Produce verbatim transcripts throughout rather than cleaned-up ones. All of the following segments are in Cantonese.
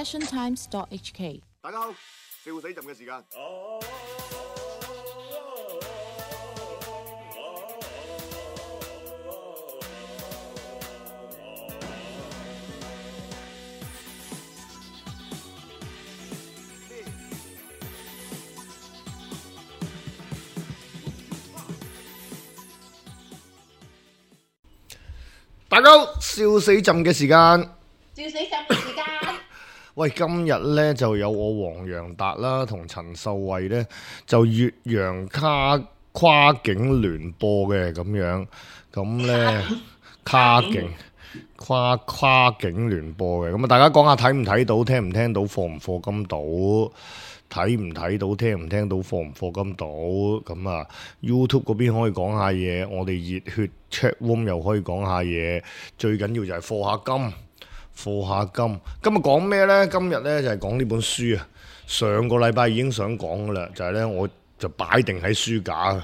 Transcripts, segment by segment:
passion times dot h k。 大家好，笑死朕嘅時間。大家好，笑死朕嘅時間。笑死朕嘅時間。喂，今日咧就有我黃洋達啦，同陳秀慧咧就越洋跨跨境聯播嘅咁樣，咁咧跨境跨跨境聯播嘅，咁啊大家講下睇唔睇到，聽唔聽到，課唔課金到，睇唔睇到，聽唔聽到，課唔課金到，咁啊 YouTube 嗰邊可以講下嘢，我哋熱血 chat room 又可以講下嘢，最緊要就係課下金。課下金，今日講咩呢？今日呢就係講呢本書啊。上個禮拜已經想講噶啦，就係呢，我就擺定喺書架，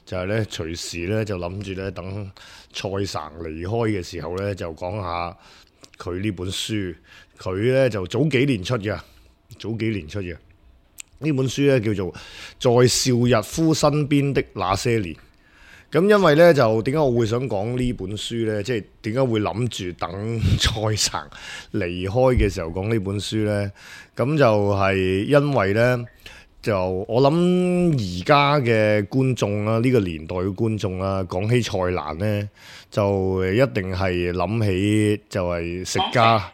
就係呢，隨時呢就諗住呢，等蔡生離開嘅時候呢，就講下佢呢本書。佢呢就早幾年出嘅，早幾年出嘅呢本書呢，叫做《在邵逸夫身邊的那些年》。咁因為咧就點解我會想講呢本書呢？即係點解會諗住等蔡生離開嘅時候講呢本書呢？咁就係因為呢，就我諗而家嘅觀眾啦，呢個年代嘅觀眾啦，講起蔡瀾呢，就一定係諗起就係食家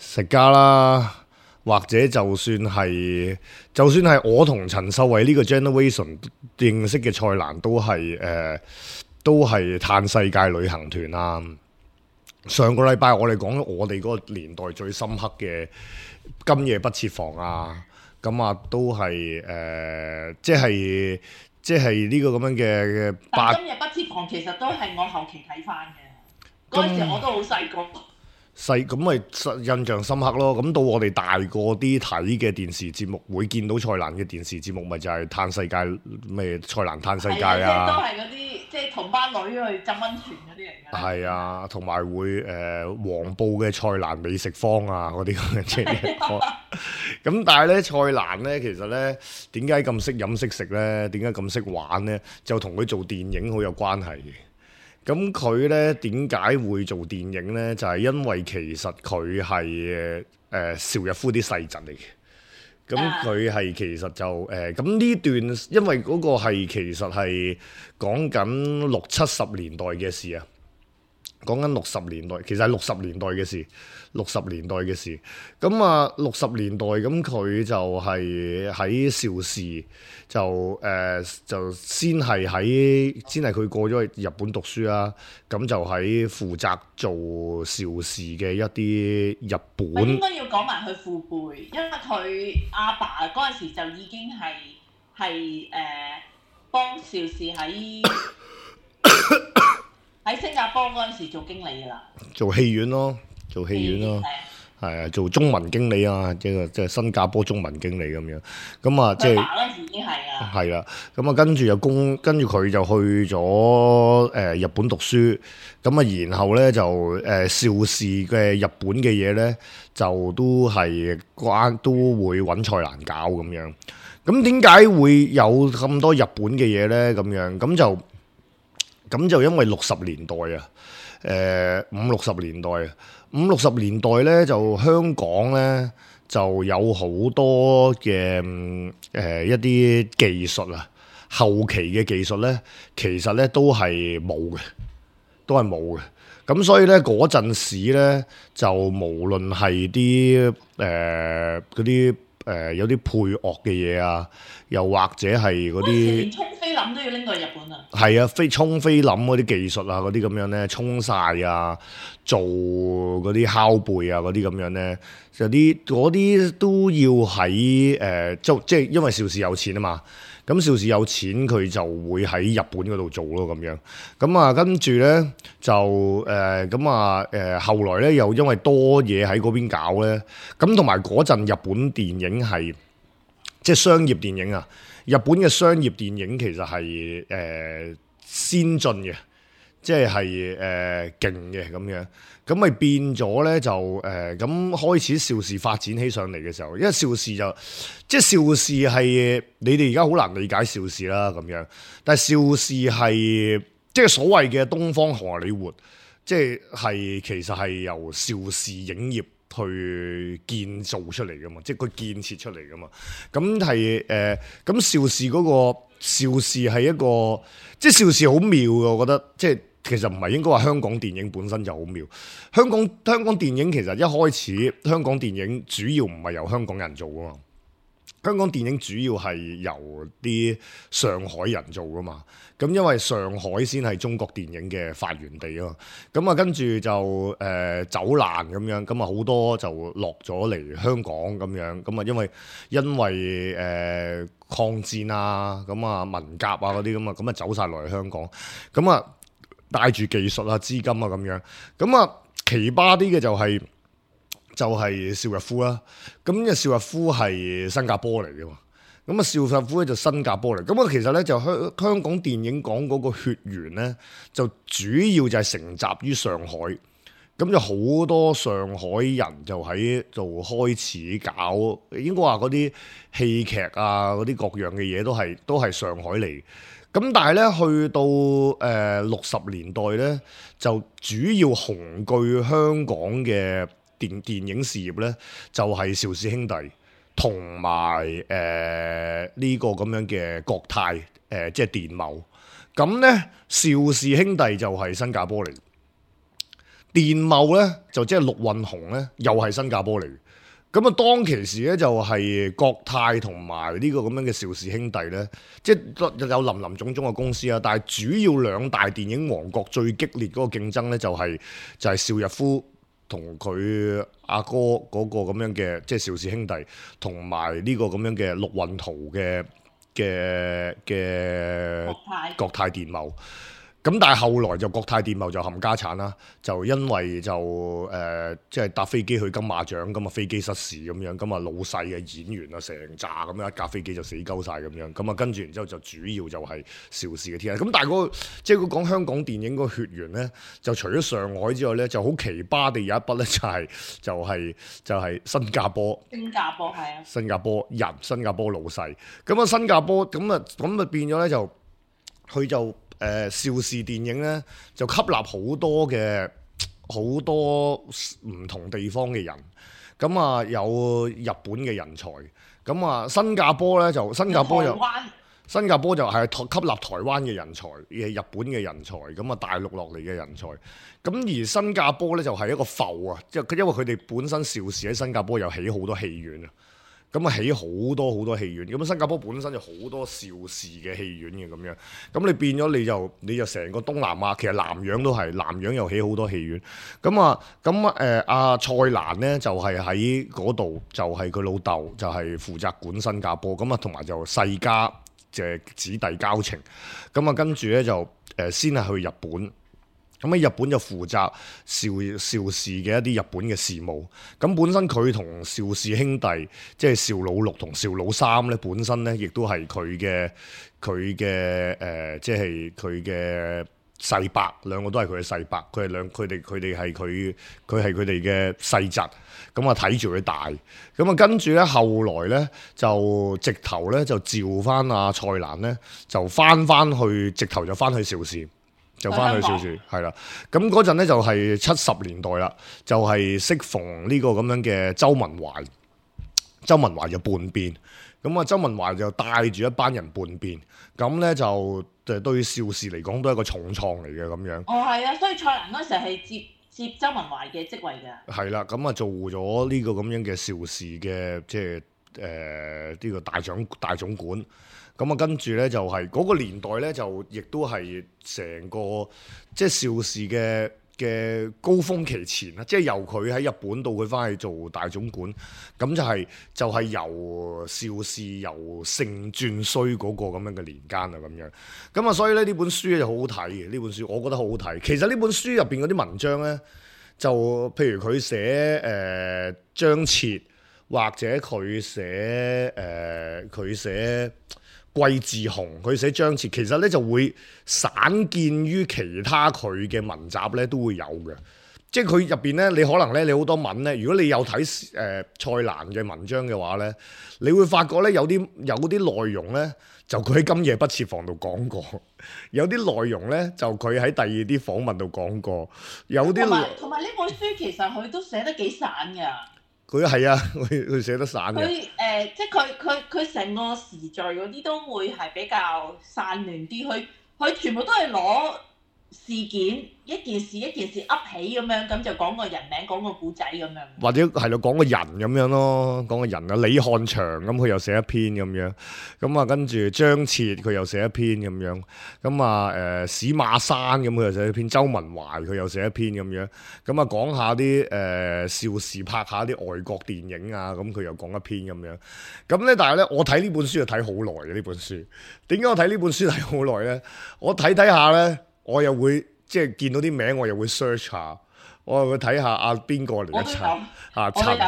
食家啦。或者就算係，就算係我同陳秀慧呢個 generation 認識嘅蔡瀾，都係誒、呃，都係嘆世界旅行團啊！上個禮拜我哋講我哋嗰個年代最深刻嘅今夜不設防啊，咁啊都係誒、呃，即係即係呢個咁樣嘅。但今夜不設防其實都係我後期睇翻嘅，嗰陣時我都好細個。細咁咪印象深刻咯，咁到我哋大個啲睇嘅電視節目，會見到蔡瀾嘅電視節目，咪就係嘆世界咩？蔡瀾嘆世界啊！都係嗰啲即係同班女去浸温泉嗰啲嚟嘅。係啊，同埋會誒、呃、黃埔嘅蔡瀾美食坊啊嗰啲咁嘅嘢。咁但係咧，蔡瀾咧其實咧點解咁識飲識食咧？點解咁識玩咧？就同佢做電影好有關係嘅。咁佢咧點解會做電影咧？就係、是、因為其實佢係誒邵逸夫啲細侄嚟嘅。咁佢係其實就誒咁呢段，因為嗰個係其實係講緊六七十年代嘅事啊。講緊六十年代，其實係六十年代嘅事，六十年代嘅事。咁啊，六十年代咁佢就係喺邵氏，就誒、呃、就先係喺先係佢過咗去日本讀書啦。咁就喺負責做邵氏嘅一啲日本。應該要講埋佢父輩，因為佢阿爸嗰陣時就已經係係誒幫邵氏喺。喺新加坡嗰陣時做經理噶啦，做戲院咯，做戲院咯，係啊，做中文經理啊，即係即係新加坡中文經理咁樣，咁啊即係嗰陣時已經係啊，係啦，咁啊跟住又供，跟住佢就去咗誒、呃、日本讀書，咁啊然後咧就誒邵氏嘅日本嘅嘢咧就都係關都會揾蔡瀾搞咁樣，咁點解會有咁多日本嘅嘢咧？咁樣咁就。咁就因為六十年代啊，誒、呃、五六十年代啊，五六十年代咧就香港咧就有好多嘅誒、呃、一啲技術啊，後期嘅技術咧其實咧都係冇嘅，都係冇嘅。咁所以咧嗰陣時咧就無論係啲誒嗰啲誒有啲配樂嘅嘢啊，又或者係嗰啲連沖菲林都要拎過去日本啊！係啊，飛沖菲林嗰啲技術啊，嗰啲咁樣咧，沖晒啊，做嗰啲拷貝啊，嗰啲咁樣咧，就啲嗰啲都要喺誒，即即係因為邵氏有錢啊嘛，咁邵氏有錢佢就會喺日本嗰度做咯咁樣，咁啊跟住咧就誒咁啊誒後來咧又因為多嘢喺嗰邊搞咧，咁同埋嗰陣日本電影係即係商業電影啊。日本嘅商業電影其實係誒、呃、先進嘅，即係係誒勁嘅咁樣，咁咪變咗咧就誒咁、呃、開始邵氏發展起上嚟嘅時候，因為邵氏就即係邵氏係你哋而家好難理解邵氏啦咁樣，但係邵氏係即係所謂嘅東方荷里活，即係係其實係由邵氏影業去建造出嚟噶嘛，即係佢建設出嚟噶嘛，咁係誒咁邵氏嗰個邵氏係一個即係邵氏好妙嘅，我覺得即係。其實唔係應該話香港電影本身就好妙，香港香港電影其實一開始香港電影主要唔係由香港人做噶嘛，香港電影主要係由啲上海人做噶嘛，咁因為上海先係中國電影嘅發源地啊嘛，咁啊跟住就誒、呃、走難咁樣，咁啊好多就落咗嚟香港咁樣，咁啊因為因為誒、呃、抗戰啊，咁啊文革啊嗰啲咁啊，咁啊走晒落嚟香港，咁啊。帶住技術啊、資金啊咁樣，咁啊奇葩啲嘅就係、是、就係、是、邵逸夫啦。咁嘅邵逸夫係新加坡嚟嘅嘛，咁啊邵逸夫咧就新加坡嚟。咁啊其實咧就香香港電影講嗰個血緣咧，就主要就係承襲於上海。咁就好多上海人就喺度開始搞，應該話嗰啲戲劇啊、嗰啲各樣嘅嘢都係都係上海嚟。咁但係咧，去到誒六十年代咧，就主要雄踞香港嘅電電影事業咧，就係、是、邵氏兄弟同埋誒呢個咁樣嘅國泰誒、呃，即係電懋。咁咧，邵氏兄弟就係新加坡嚟，電懋咧就即係陸運雄咧，又係新加坡嚟。咁啊，當其時咧就係國泰同埋呢個咁樣嘅邵氏兄弟咧，即係有林林種種嘅公司啊。但係主要兩大電影王國最激烈嗰個競爭咧，就係就係邵逸夫同佢阿哥嗰個咁樣嘅，即係邵氏兄弟同埋呢個咁樣嘅陸運濤嘅嘅嘅國泰國泰電懋。咁但係後來就國泰電懋就冚家產啦，就因為就誒即係搭飛機去金馬獎，咁啊飛機失事咁樣，咁啊老細嘅演員啊成扎咁樣一架飛機就死鳩晒咁樣，咁啊跟住然之後就主要就係邵氏嘅天下。咁但係嗰個即係佢講香港電影嗰個血緣咧，就除咗上海之外咧，就好奇葩地有一筆咧就係就係就係新加坡。新加坡係啊，新加坡人，新加坡老細。咁啊新加坡咁啊咁啊變咗咧就佢就。誒、呃、邵氏電影咧就吸納好多嘅好多唔同地方嘅人，咁啊有日本嘅人才，咁啊新加坡咧就新加坡又新加坡就係吸納台灣嘅人才，嘅日本嘅人才，咁啊大陸落嚟嘅人才，咁而新加坡咧就係一個埠啊，即係因為佢哋本身邵氏喺新加坡又起好多戲院啊。咁啊起好多好多戲院，咁新加坡本身就好多邵氏嘅戲院嘅咁樣，咁你變咗你就你就成個東南亞，其實南洋都係南洋又起好多戲院，咁啊咁誒阿蔡瀾咧就係喺嗰度，就係佢老豆就係負責管新加坡，咁啊同埋就世家嘅子弟交情，咁啊跟住咧就誒、呃、先係去日本。咁喺日本就負責邵邵氏嘅一啲日本嘅事務。咁本身佢同邵氏兄弟，即係邵老六同邵老三咧，本身咧亦都係佢嘅佢嘅誒，即係佢嘅世伯，兩個都係佢嘅世伯。佢係兩佢哋佢哋係佢佢係佢哋嘅世侄。咁啊睇住佢大。咁啊跟住咧後來咧就直頭咧就召翻阿蔡瀾咧，就翻翻去直頭就翻去邵氏。就翻去邵氏，係啦。咁嗰陣咧就係七十年代啦，就係適逢呢個咁樣嘅周文懷，周文懷就叛變。咁啊，周文懷就帶住一班人叛變，咁咧就誒對邵氏嚟講都係一個重創嚟嘅咁樣。哦，係啊，所以蔡瀾嗰時係接接周文懷嘅職位㗎。係啦，咁啊做咗呢個咁樣嘅邵氏嘅即係誒呢個大總大總管。咁啊，跟住咧就係、是、嗰、那個年代咧，就亦都係成個即係邵氏嘅嘅高峰期前啦，即係由佢喺日本到佢翻去做大總管，咁就係、是、就係、是、由邵氏由盛轉衰嗰個咁樣嘅年間啊，咁樣。咁啊，所以咧呢本書咧就好好睇嘅，呢本書我覺得好好睇。其實呢本書入邊嗰啲文章咧，就譬如佢寫誒張徹，或者佢寫誒佢寫。季志雄，佢寫張徹，其實咧就會散見於其他佢嘅文集咧都會有嘅。即係佢入邊咧，你可能咧，你好多文咧，如果你有睇誒、呃、蔡瀾嘅文章嘅話咧，你會發覺咧有啲有啲內容咧，就佢喺今夜不設防度講過；有啲內容咧，就佢喺第二啲訪問度講過；有啲同埋呢本書其實佢都寫得幾散㗎。佢係啊，佢佢寫得散嘅。佢誒、呃，即係佢佢佢成個時序嗰啲都會係比較散亂啲，佢佢全部都係攞事件一件事一件事噏起咁樣，咁就講個人名，講個古仔咁樣。或者係咯，講個人咁樣咯，講個人啊，李漢祥咁佢又寫一篇咁樣，咁啊跟住張徹佢又寫一篇咁樣，咁啊誒史馬山咁佢又寫一篇，周文懷佢又寫一篇咁樣，咁啊講下啲誒邵氏拍下啲外國電影啊，咁佢又講一篇咁樣，咁咧但係咧我睇呢本書就睇好耐嘅呢本書，點解我睇呢本書睇好耐咧？我睇睇下咧。我又會即係見到啲名，我又會 search 下，我又會睇下啊邊個嚟嘅陳啊陳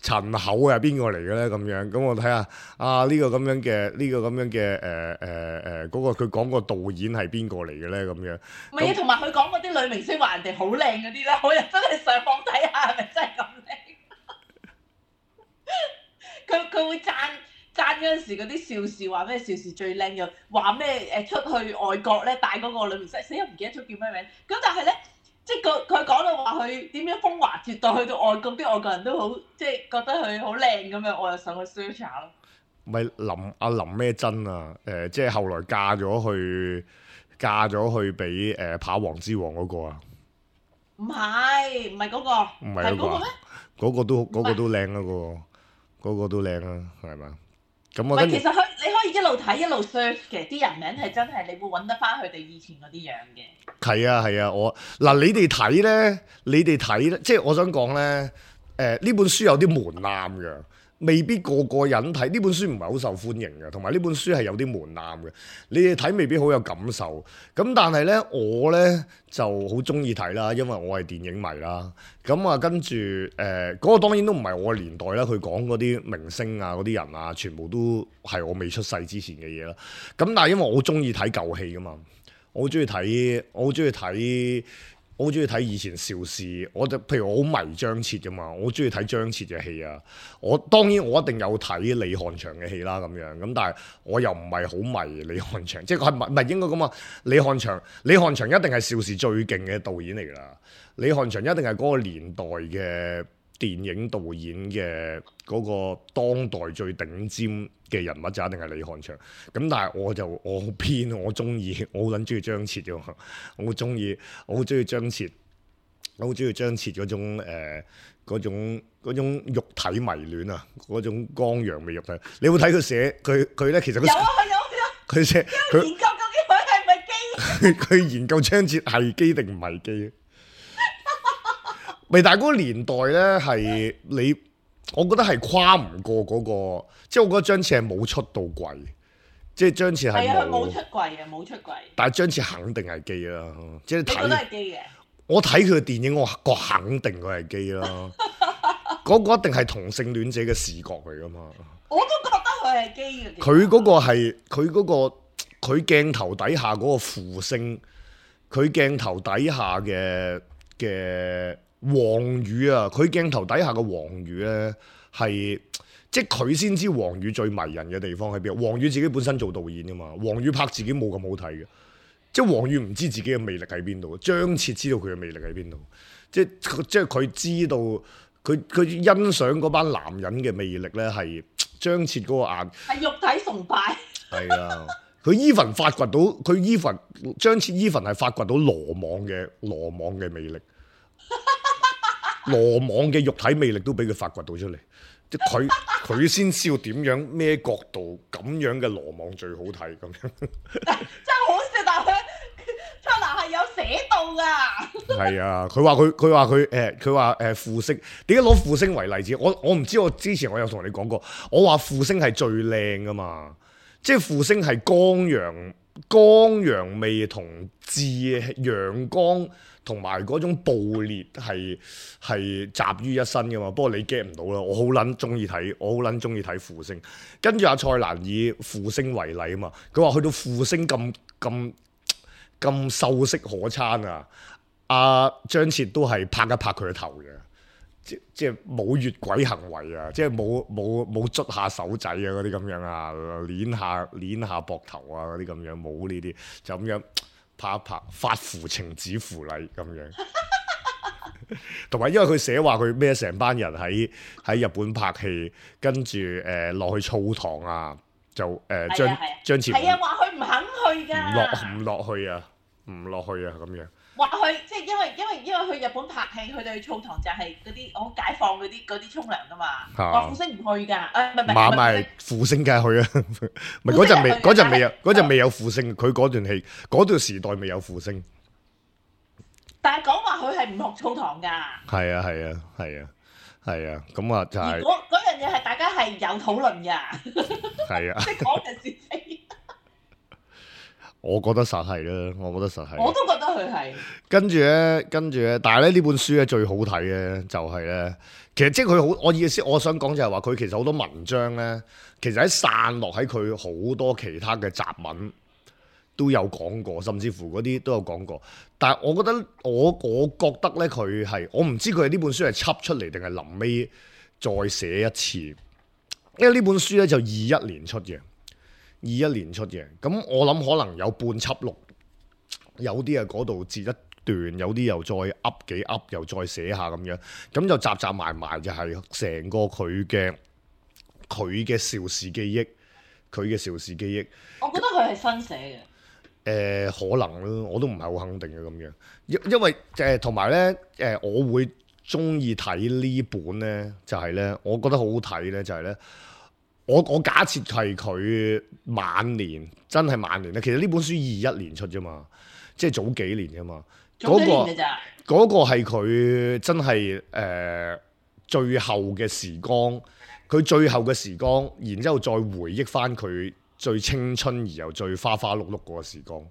陳厚係邊個嚟嘅咧咁樣，咁我睇下啊呢、這個咁樣嘅呢、這個咁樣嘅誒誒誒嗰個佢講個導演係邊個嚟嘅咧咁樣。唔係啊，同埋佢講嗰啲女明星話人哋好靚嗰啲咧，我又真係上網睇下係咪真係咁靚。佢佢會讚。爭嗰陣時嗰啲邵氏話咩邵氏最靚，又話咩誒出去外國咧帶嗰個女明星，死又唔記得咗叫咩名。咁但係咧，即係佢佢講到話佢點樣風華絕代，去到外國啲外國人都好即係覺得佢好靚咁樣，我又上去 search 下咯。咪林阿林咩真啊？誒、呃，即係後來嫁咗去嫁咗去俾誒、呃、跑王之王嗰個啊？唔係唔係嗰個，唔係嗰個咩？嗰個都嗰、嗰個都靚啊！嗰、嗰個嗰個都靚啊，係咪？咁我其實佢你可以一路睇一路 search 嘅，啲人名係真係你會揾得翻佢哋以前嗰啲樣嘅。係啊係啊，我嗱你哋睇咧，你哋睇咧，即係我想講咧，誒、呃、呢本書有啲門檻嘅。未必個個人睇呢本書唔係好受歡迎嘅，同埋呢本書係有啲門檻嘅。你哋睇未必好有感受。咁但係呢，我呢就好中意睇啦，因為我係電影迷啦。咁啊，跟住誒嗰個當然都唔係我嘅年代啦。佢講嗰啲明星啊、嗰啲人啊，全部都係我未出世之前嘅嘢啦。咁但係因為我好中意睇舊戲噶嘛，我好中意睇，我好中意睇。我好中意睇以前邵氏，我就譬如我好迷張徹噶嘛，我好中意睇張徹嘅戲啊。我當然我一定有睇李翰祥嘅戲啦，咁樣咁，但係我又唔係好迷李翰祥，即係佢係唔係應該咁啊？李翰祥，李翰祥一定係邵氏最勁嘅導演嚟㗎啦。李翰祥一定係嗰個年代嘅電影導演嘅嗰個當代最頂尖嘅人物就一定係李翰祥。咁但係我就我好偏，我中意我好撚中意張徹嘅，我好中意我好中意張徹，我好中意張徹嗰種誒嗰種嗰種肉體迷戀啊，嗰種剛陽味肉體。你會睇佢寫佢佢咧，其實佢有啊有啊，佢寫佢研究究竟佢係咪基？佢研究張徹係基定唔係基？未，但係嗰個年代咧係你，我覺得係跨唔過嗰個，即係我覺得張徹係冇出到櫃，即係張徹係冇。冇出櫃嘅，冇出櫃。但係張徹肯定係基啦，即係睇。你覺得係基嘅？我睇佢嘅電影，我我肯定佢係基啦。嗰個一定係同性戀者嘅視覺嚟噶嘛。我都覺得佢係基嘅。佢嗰個係佢嗰個佢鏡頭底下嗰個負星，佢鏡頭底下嘅嘅。黃宇啊，佢鏡頭底下嘅黃宇咧，係即係佢先知黃宇最迷人嘅地方喺邊。黃宇自己本身做導演噶嘛，黃宇拍自己冇咁好睇嘅，即係黃宇唔知自己嘅魅力喺邊度。張徹知道佢嘅魅力喺邊度，即係即係佢知道佢佢欣賞嗰班男人嘅魅力咧，係張徹嗰個眼係肉體崇拜。係啊，佢 even 發掘到佢 even 張徹 even 係發掘到羅網嘅羅網嘅魅力。羅網嘅肉體魅力都俾佢發掘到出嚟，即係佢佢先知道點樣咩角度咁樣嘅羅網最好睇咁樣。真係好笑，但係佢出嚟係有寫到㗎。係啊，佢話佢佢話佢誒佢話誒傅聲，點解攞傅聲為例子？我我唔知，我之前我有同你講過，我話傅聲係最靚㗎嘛，即係傅聲係剛陽光陽味同志陽光同埋嗰種暴烈係係集於一身噶嘛。不過你 get 唔到啦，我好撚中意睇，我好撚中意睇負星。跟住阿蔡瀾以負星為例啊嘛，佢話去到負星咁咁咁秀色可餐啊，阿張徹都係拍一拍佢嘅頭嘅。即即係冇越軌行為啊！即係冇冇冇捽下手仔啊嗰啲咁樣啊，捏下捏下膊頭啊嗰啲咁樣，冇呢啲，就咁樣拍一拍，發乎情止乎禮咁樣。同埋因為佢寫話佢咩成班人喺喺日本拍戲，跟住誒落去澡堂啊，就誒、呃、張張徹係啊，話佢唔肯去㗎，唔落唔落去啊，唔落去啊咁樣。話去即係因為因為因為去日本拍戲，佢哋去澡堂就係嗰啲好解放嗰啲嗰啲沖涼㗎嘛。話負星唔去㗎，誒唔係唔係唔係負星梗係去啊！唔係嗰陣未嗰陣未有嗰陣未有負星，佢嗰段戲嗰段時代未有負星。但係講話佢係唔學澡堂㗎。係啊係啊係啊係啊，咁啊就係。如果嗰樣嘢係大家係有討論㗎。係啊。即係講嘅事情。我覺得實係啦，我覺得實係。我都覺得佢係。跟住咧，跟住咧，但係咧呢本書咧最好睇嘅就係咧，其實即係佢好，我意思我想講就係話佢其實好多文章咧，其實喺散落喺佢好多其他嘅雜文都有講過，甚至乎嗰啲都有講過。但係我覺得我我覺得咧佢係，我唔知佢係呢本書係輯出嚟定係臨尾再寫一次，因為呢本書咧就二一年出嘅。二一年出嘅，咁我諗可能有半輯錄，有啲啊嗰度截一段，有啲又再噏幾噏，又再寫下咁樣，咁就集集埋埋就係成個佢嘅佢嘅邵氏記憶，佢嘅邵氏記憶。我覺得佢係新寫嘅。誒、呃，可能咯，我都唔係好肯定嘅咁樣，因因為誒同埋咧誒，我會中意睇呢本咧，就係、是、咧，我覺得好好睇咧，就係、是、咧。我我假設係佢晚年，真係晚年咧。其實呢本書二一年出啫嘛，即係早幾年啫嘛。早幾年嘅咋？嗰個係佢真係誒、呃、最後嘅時光，佢最後嘅時光，然之後再回憶翻佢最青春而又最花花碌碌嗰個時光。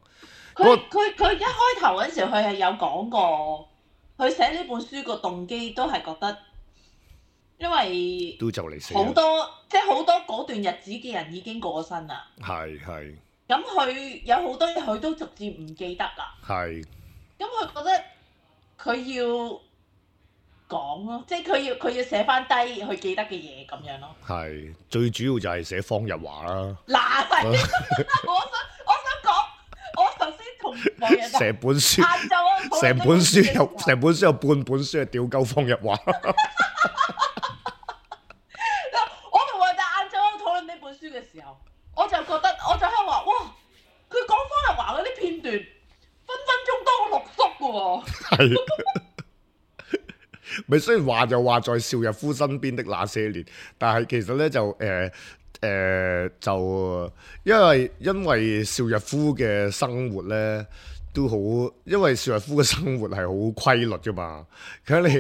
佢佢佢一開頭嗰陣時，佢係有講過，佢寫呢本書個動機都係覺得。因為都就嚟死好多，即係好多嗰段日子嘅人已經過咗身啦。係係。咁佢有好多嘢，佢都逐漸唔記得啦。係。咁佢覺得佢要講咯，即係佢要佢要寫翻低佢記得嘅嘢咁樣咯。係，最主要就係寫方日華啦。嗱，係，我想我想講，我頭先同網友成本書，成本書有成本書有半本書係屌鳩方日華。嘅時候，我就覺得，我就喺度話，哇！佢講方日華嗰啲片段，分分鐘多過六叔嘅喎。係，咪雖然話就話在邵逸夫身邊的那些年，但係其實咧就誒誒、呃呃、就因為因為邵逸夫嘅生活咧都好，因為邵逸夫嘅生活係好規律嘅嘛，佢你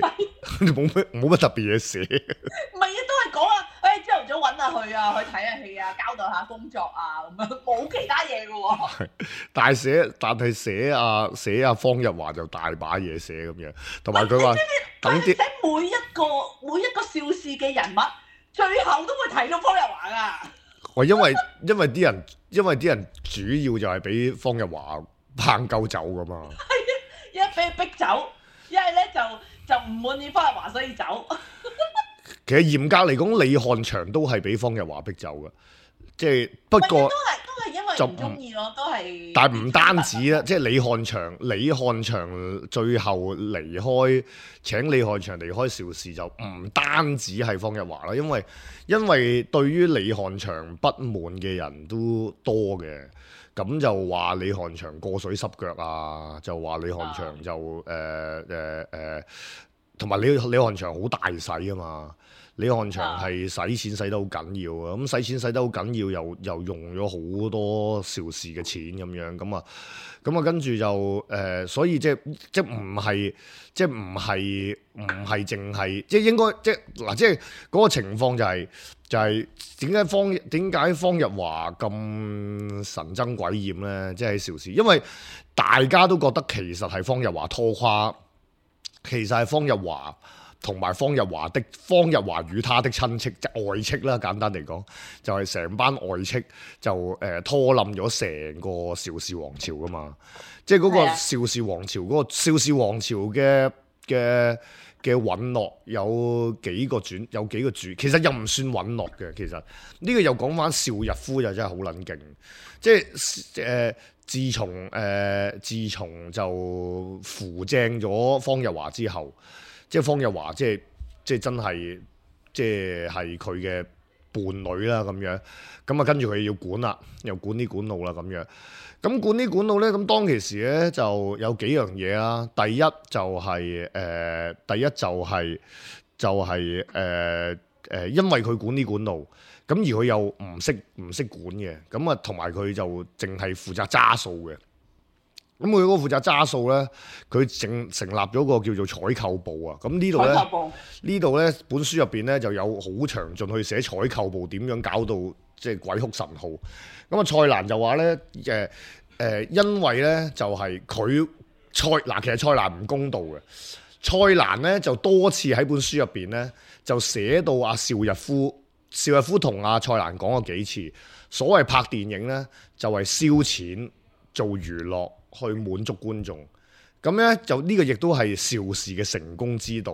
冇乜冇乜特別嘢寫。唔係啊，都係講啊。朝頭早揾下佢啊，去睇下戲啊，交代下工作啊，咁樣冇其他嘢嘅喎。但係寫，但係寫啊寫啊方日華就大把嘢寫咁樣，同埋佢話等啲寫每一個每一個邵氏嘅人物，最後都會提到方日華噶。我因為因為啲人因為啲人主要就係俾方日華拚鳩走噶嘛。係啊，一係俾佢逼走，一係咧就就唔滿意方日華，所以走。其實嚴格嚟講，李翰祥都係俾方日華逼走嘅，即係不過都係都係因為唔中意咯，都係。但係唔單止啦，即係李翰祥，李翰祥最後離開，請李翰祥離開邵氏就唔單止係方日華啦，因為因為對於李翰祥不滿嘅人都多嘅，咁就話李翰祥過水濕腳啊，就話李翰祥就誒誒誒。同埋李李漢祥好大使啊嘛。李漢祥係使錢使得好緊要啊，咁使錢使得好緊要，又又用咗好多邵氏嘅錢咁樣，咁啊，咁啊跟住就誒、呃，所以即係即係唔係即係唔係唔係淨係即係應該即係嗱，即係嗰個情況就係、是、就係點解方點解方日華咁神憎鬼厭咧？即係喺邵氏，因為大家都覺得其實係方日華拖垮，其實係方日華。同埋方日華的方日華與他的親戚即外戚啦，簡單嚟講就係、是、成班外戚就誒、呃、拖冧咗成個邵氏王朝噶嘛，即係嗰個邵氏王朝嗰、那個邵氏王朝嘅嘅嘅隕落有幾個轉有幾個主，其實又唔算隕落嘅。其實呢、這個又講翻邵逸夫就真係好撚勁，即係誒、呃、自從誒、呃、自從就扶正咗方日華之後。即係方日華，即係即係真係，即係係佢嘅伴侶啦咁樣。咁啊，跟住佢要管啦，又管啲管路啦咁樣。咁管啲管路咧，咁當其時咧就有幾樣嘢啦。第一就係、是、誒、呃，第一就係、是、就係誒誒，因為佢管啲管路，咁而佢又唔識唔識管嘅，咁啊同埋佢就淨係負責揸數嘅。咁佢嗰個負責揸數咧，佢成成立咗個叫做採購部啊。咁呢度咧，呢度咧本書入邊咧就有好詳盡去寫採購部點樣搞到即係鬼哭神號。咁啊，蔡瀾就話咧，誒、呃、誒，因為咧就係佢蔡嗱，其實蔡瀾唔公道嘅。蔡瀾咧就多次喺本書入邊咧就寫到阿邵逸夫，邵逸夫同阿蔡瀾講過幾次，所謂拍電影咧就係燒錢做娛樂。去滿足觀眾，咁咧就呢個亦都係邵氏嘅成功之道。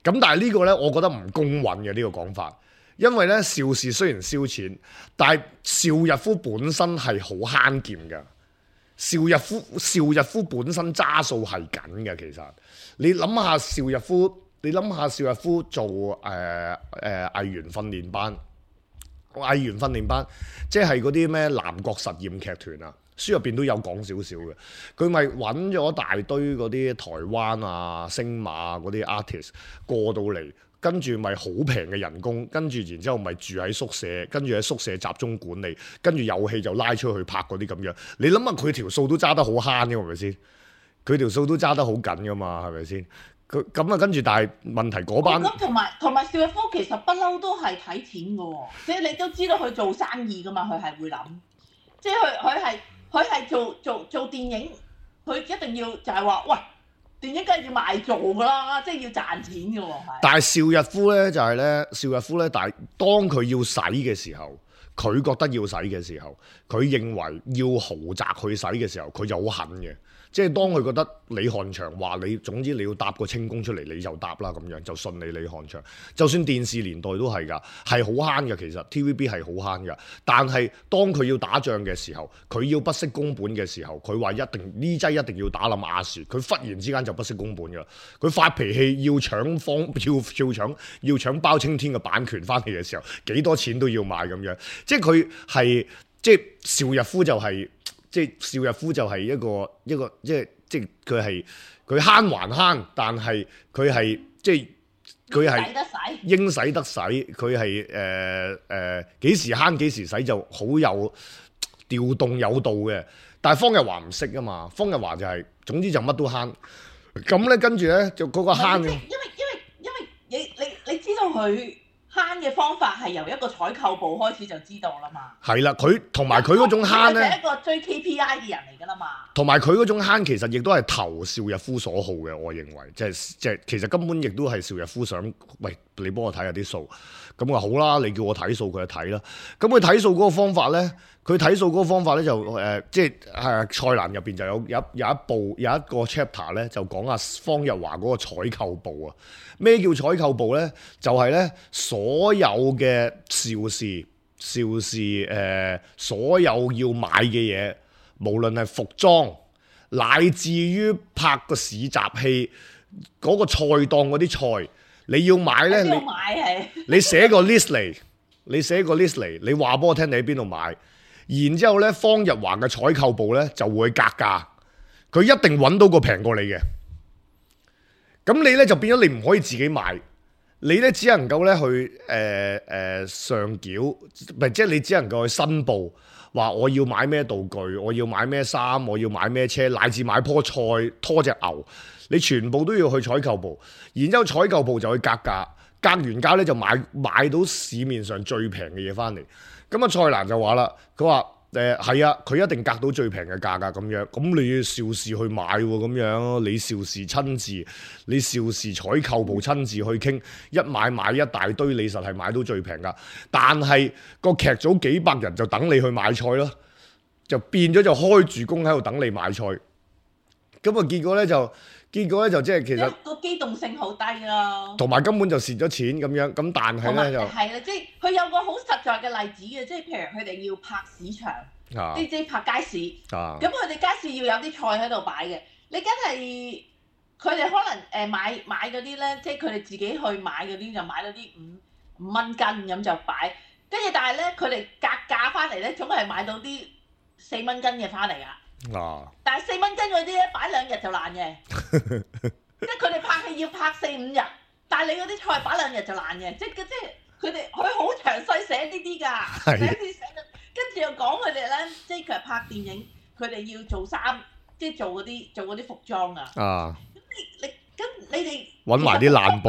咁但係呢個咧，我覺得唔公允嘅呢個講法，因為咧邵氏雖然燒錢，但係邵逸夫本身係好慳儉嘅。邵逸夫邵逸夫本身揸數係緊嘅，其實你諗下邵逸夫，你諗下邵逸夫做誒誒、呃呃、藝員訓練班，藝員訓練班即係嗰啲咩南國實驗劇團啊。書入邊都有講少少嘅，佢咪揾咗大堆嗰啲台灣啊、星馬嗰啲 artist 過到嚟，跟住咪好平嘅人工，跟住然之後咪住喺宿舍，跟住喺宿舍集中管理，跟住有戲就拉出去拍嗰啲咁樣。你諗下佢條數都揸得好慳嘅，係咪先？佢條數都揸得好緊噶嘛，係咪先？佢咁啊，跟住但係問題嗰班咁同埋同埋邵逸夫其實不嬲都係睇錢嘅喎，即係你都知道佢做生意噶嘛，佢係會諗，即係佢佢係。佢係做做做電影，佢一定要就係話，喂，電影梗係要賣做㗎啦，即係要賺錢嘅喎。但係邵逸夫咧就係、是、咧，邵逸夫咧，但係當佢要使嘅時候，佢覺得要使嘅時候，佢認為要豪宅去使嘅時候，佢就好狠嘅。即係當佢覺得李漢祥話你，總之你要搭個清宮出嚟，你就搭啦咁樣，就信你李漢祥。就算電視年代都係㗎，係好慳嘅。其實 T V B 係好慳㗎。但係當佢要打仗嘅時候，佢要不惜工本嘅時候，佢話一定呢劑一定要打冧亞視，佢忽然之間就不惜工本㗎。佢發脾氣要搶方，要要搶要搶包青天嘅版權翻嚟嘅時候，幾多錢都要買咁樣。即係佢係即係邵逸夫就係、是。即係邵逸夫就係一個一個即係即係佢係佢慳還慳，但係佢係即係佢係應使得使，佢係誒誒幾時慳幾時使就好有調動有道嘅。但係方日華唔識啊嘛，方日華就係、是、總之就乜都慳。咁咧跟住咧就嗰個慳嘅，因為因為因為你你你知道佢。慳嘅方法係由一個採購部開始就知道啦嘛。係啦，佢同埋佢嗰種慳咧，係一個追 K P I 嘅人嚟㗎啦嘛。同埋佢嗰種慳其實亦都係投邵逸夫所好嘅，我認為即係即係其實根本亦都係邵逸夫想，喂，你幫我睇下啲數，咁啊好啦，你叫我睇數佢就睇啦。咁佢睇數嗰個方法咧，佢睇數嗰個方法咧就誒、呃、即係係蔡瀾入邊就有有有一部有一個 chapter 咧就講阿方日華嗰個採購部啊。咩叫採購部咧？就係、是、咧所有嘅邵氏邵氏誒所有要買嘅嘢，無論係服裝，乃至於拍個市集戲嗰、那個菜檔嗰啲菜，你要買咧，你你寫個 list 嚟，你寫個 list 嚟，你話俾我聽你喺邊度買，然之後咧方日華嘅採購部咧就會格價，佢一定揾到個平過你嘅。咁你咧就變咗你唔可以自己買，你咧只能夠咧去誒誒、呃呃、上繳，唔係即係你只能夠去申報，話我要買咩道具，我要買咩衫，我要買咩車，乃至買棵菜、拖隻牛，你全部都要去採購部，然之後採購部就去格價，格完價咧就買買到市面上最平嘅嘢翻嚟。咁啊，蔡瀾就話啦，佢話。誒係啊，佢一定格到最平嘅價格咁樣，咁你要邵氏去買喎，咁樣你邵氏親自，你邵氏採購部親自去傾，一買買一大堆，你實係買到最平㗎。但係個劇組幾百人就等你去買菜咯，就變咗就開住工喺度等你買菜，咁啊結果咧就。結果咧就即係其實個機動性好低咯，同埋根本就蝕咗錢咁樣，咁但係咧就係啦，即係佢有個好實在嘅例子嘅，即係譬如佢哋要拍市場，啊、即係拍街市，咁佢哋街市要有啲菜喺度擺嘅，你梗係佢哋可能誒買買嗰啲咧，即係佢哋自己去買嗰啲就買到啲五五蚊斤咁就擺，跟住但係咧佢哋格價翻嚟咧，總係買到啲四蚊斤嘅翻嚟啊！啊！但係四蚊斤嗰啲咧，擺兩日就爛嘅，即係佢哋拍戲要拍四五日，但係你嗰啲菜擺兩日就爛嘅，即係即係佢哋佢好詳細寫呢啲㗎，寫啲寫到，跟住又講佢哋咧，即係佢拍電影，佢哋要做衫，即係做嗰啲做嗰啲服裝啊。啊！咁你你咁你哋揾埋啲爛布，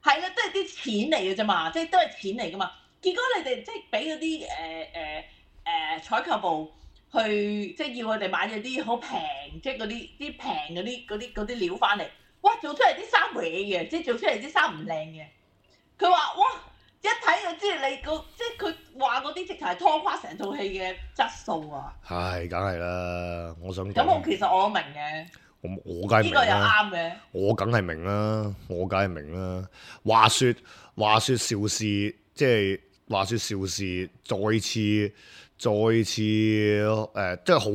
係啦，都係啲錢嚟嘅啫嘛，即係都係錢嚟㗎嘛。結果你哋即係俾嗰啲誒誒誒採購部。去即係要佢哋買咗啲好平，即係嗰啲啲平嗰啲嗰啲嗰啲料翻嚟，哇！做出嚟啲衫歪嘅，即係做出嚟啲衫唔靚嘅。佢話：哇！一睇就知你個，即係佢話嗰啲直頭係拖垮成套戲嘅質素啊！係，梗係啦，我想講。咁我其實我都明嘅。我我梗係明啦。呢個又啱嘅。我梗係明啦，我梗係明啦。話説話説邵氏，即係話説邵氏再次。再次誒、呃，即係好，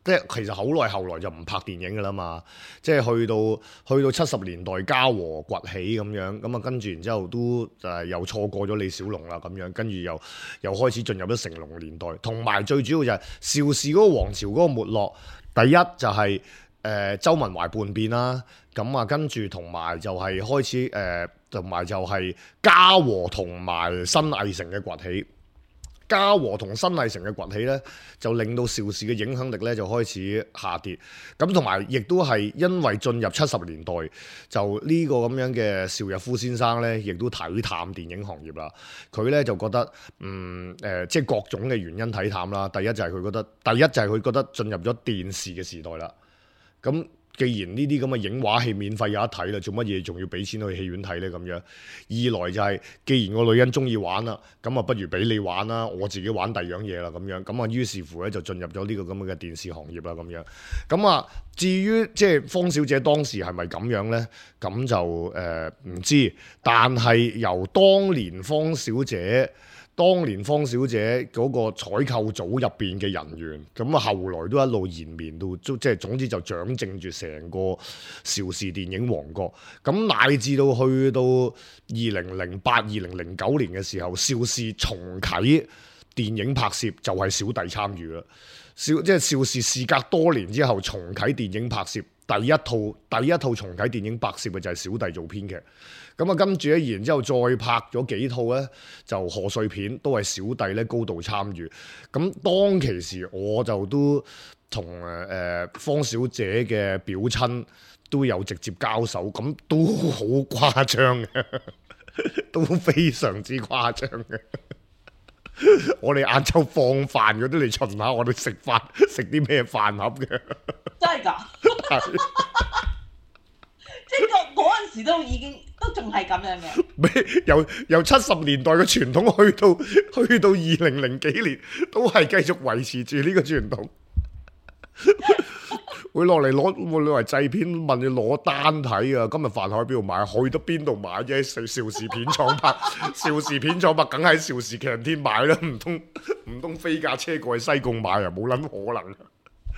即係其實好耐後來就唔拍電影㗎啦嘛，即係去到去到七十年代嘉禾崛起咁樣，咁啊跟住然之後都就係又錯過咗李小龍啦咁樣，跟住又又開始進入咗成龍年代，同埋最主要就係邵氏嗰個王朝嗰個沒落，第一就係、是、誒、呃、周文懷叛變啦，咁啊跟住同埋就係開始誒，同、呃、埋就係嘉禾同埋新藝城嘅崛起。嘉禾同新藝城嘅崛起咧，就令到邵氏嘅影響力咧就開始下跌。咁同埋亦都係因為進入七十年代，就呢個咁樣嘅邵逸夫先生咧，亦都睇淡電影行業啦。佢咧就覺得，嗯誒、呃，即係各種嘅原因睇淡啦。第一就係佢覺得，第一就係佢覺得進入咗電視嘅時代啦。咁既然呢啲咁嘅影畫戲免費有得睇啦，做乜嘢仲要俾錢去戲院睇呢？咁樣二來就係、是，既然個女人中意玩啦，咁啊不如俾你玩啦，我自己玩第二樣嘢啦，咁樣咁啊，於是乎咧就進入咗呢個咁嘅電視行業啦，咁樣咁啊。至於即係方小姐當時係咪咁樣呢？咁就誒唔、呃、知，但係由當年方小姐。當年方小姐嗰個採購組入邊嘅人員，咁啊後來都一路延綿到，即係總之就掌政住成個邵氏電影王國。咁乃至到去到二零零八、二零零九年嘅時候，邵氏重啟電影拍攝就係小弟參與啦。邵即係邵氏事隔多年之後重啟電影拍攝，第一套第一套重啟電影拍攝嘅就係小弟做編劇。咁啊，跟住咧，然之後再拍咗幾套咧，就賀歲片都係小弟咧高度參與。咁當其時，我就都同誒誒方小姐嘅表親都有直接交手，咁都好誇張嘅，都非常之誇張嘅。我哋晏晝放飯嗰啲嚟巡下，我哋食飯食啲咩飯盒嘅？真係㗎！即係個嗰陣時都已經都仲係咁樣嘅。由由七十年代嘅傳統去到去到二零零幾年，都係繼續維持住呢個傳統。會落嚟攞會落嚟製片問你攞單睇啊！今日飯盒喺邊度買？去得邊度買啫？邵邵氏片廠拍，邵氏片廠拍，梗喺邵氏強天買啦！唔通唔通飛架車過去西貢買啊？冇撚可能。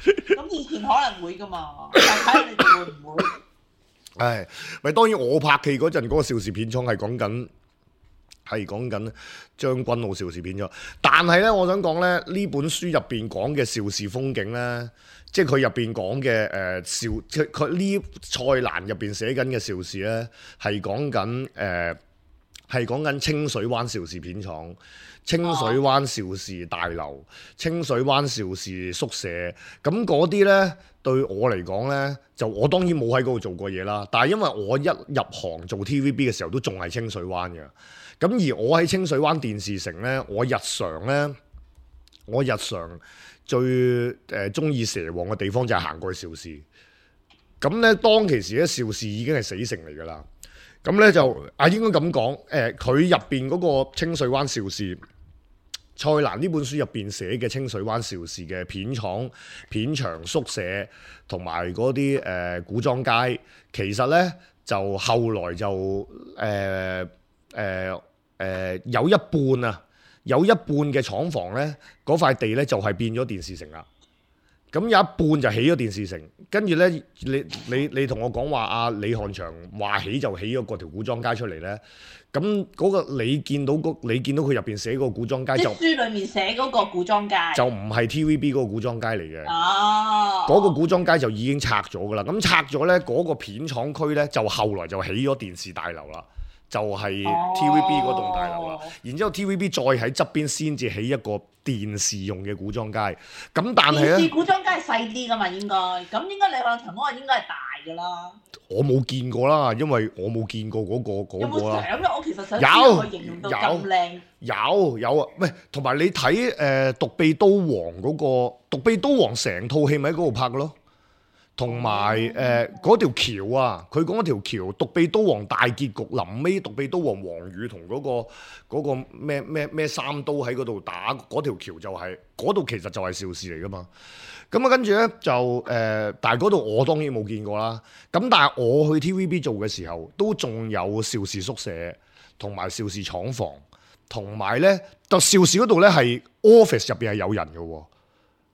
咁以前可能會噶嘛，但係睇你哋會唔會？唉，咪當然我拍戲嗰陣嗰個邵氏片廠係講緊係講緊將軍澳邵氏片廠。但係咧，我想講咧，呢本書入邊講嘅邵氏風景咧，即係佢入邊講嘅誒邵，即係佢呢蔡瀾入邊寫緊嘅邵氏咧，係講緊誒係講緊清水灣邵氏片廠。清水灣邵氏大樓、清水灣邵氏宿舍，咁嗰啲呢，對我嚟講呢，就我當然冇喺嗰度做過嘢啦。但係因為我一入行做 T V B 嘅時候都仲係清水灣嘅，咁而我喺清水灣電視城呢，我日常呢，我日常最誒中意蛇王嘅地方就係行過去邵氏。咁呢，當其時咧，邵氏已經係死城嚟㗎啦。咁咧就啊，應該咁講，誒佢入邊嗰個清水灣邵氏，蔡瀾呢本書入邊寫嘅清水灣邵氏嘅片廠、片場、宿舍同埋嗰啲誒古裝街，其實咧就後來就誒誒誒有一半啊，有一半嘅廠房咧，嗰塊地咧就係變咗電視城啦。咁有一半就起咗電視城，跟住咧，你你你同我講話阿李漢祥話起就起咗嗰條古裝街出嚟咧，咁嗰個你見到嗰你見到佢入邊寫嗰個古裝街就書裡面寫嗰個古裝街就唔係 T V B 嗰個古裝街嚟嘅。哦，嗰個古裝街就已經拆咗噶啦，咁拆咗咧嗰個片廠區咧就後來就起咗電視大樓啦。就係 T V B 嗰棟大樓啦，哦、然之後 T V B 再喺側邊先至起一個電視用嘅古裝街，咁但係咧，電視古裝街係細啲噶嘛，應該，咁應該李漢祥嗰個應該係大噶啦。我冇見過啦，因為我冇見過嗰、嗰個嗰、嗰個啦。有冇相啊？我其實想知道佢形容到咁靚。有有啊，喂，同埋你睇誒《獨臂刀王》嗰、嗰個《獨臂刀王》成套戲咪喺嗰度拍嘅咯。同埋誒嗰條橋啊，佢講嗰條橋，獨臂刀王大結局臨尾，獨臂刀王黃宇同嗰個嗰個咩咩咩三刀喺嗰度打嗰條橋就係嗰度，其實就係邵氏嚟噶嘛。咁啊跟住咧就誒、呃，但係嗰度我當然冇見過啦。咁但係我去 T V B 做嘅時候，都仲有邵氏宿舍同埋邵氏廠房，同埋咧就邵氏嗰度咧係 office 入邊係有人嘅喎。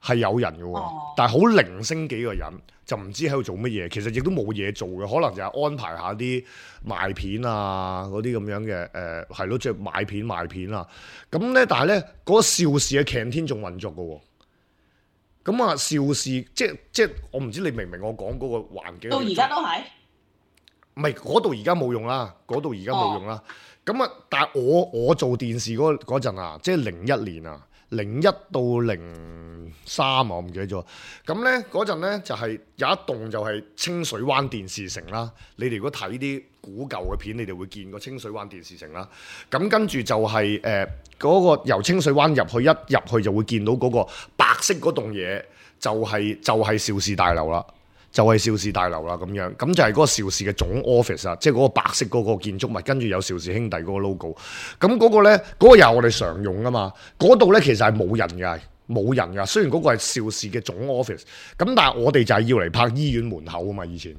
係有人嘅喎，哦、但係好零星幾個人，就唔知喺度做乜嘢。其實亦都冇嘢做嘅，可能就係安排下啲賣片啊嗰啲咁樣嘅誒，係咯，即係買片賣片啊。咁咧，但係咧嗰個邵氏嘅 canteen 仲運作嘅喎。咁啊，邵氏即即我唔知你明唔明我講嗰個環境。到而家都係。唔係嗰度而家冇用啦，嗰度而家冇用啦。咁啊、哦，但係我我做電視嗰嗰陣啊，即係零一年啊。零一到零三啊，我唔記得咗。咁咧嗰陣咧就係、是、有一棟就係清水灣電視城啦。你哋如果睇啲古舊嘅片，你哋會見過清水灣電視城啦。咁跟住就係誒嗰個由清水灣入去，一入去就會見到嗰個白色嗰棟嘢，就係、是、就係、是、邵氏大樓啦。就係邵氏大樓啦，咁樣咁就係嗰個邵氏嘅總 office 啊，即係嗰個白色嗰個建築物，跟住有邵氏兄弟嗰個 logo。咁嗰個咧，嗰、嗰個又係我哋常用噶嘛。嗰度咧其實係冇人㗎，冇人㗎。雖然嗰個係邵氏嘅總 office，咁但係我哋就係要嚟拍醫院門口啊嘛。以前，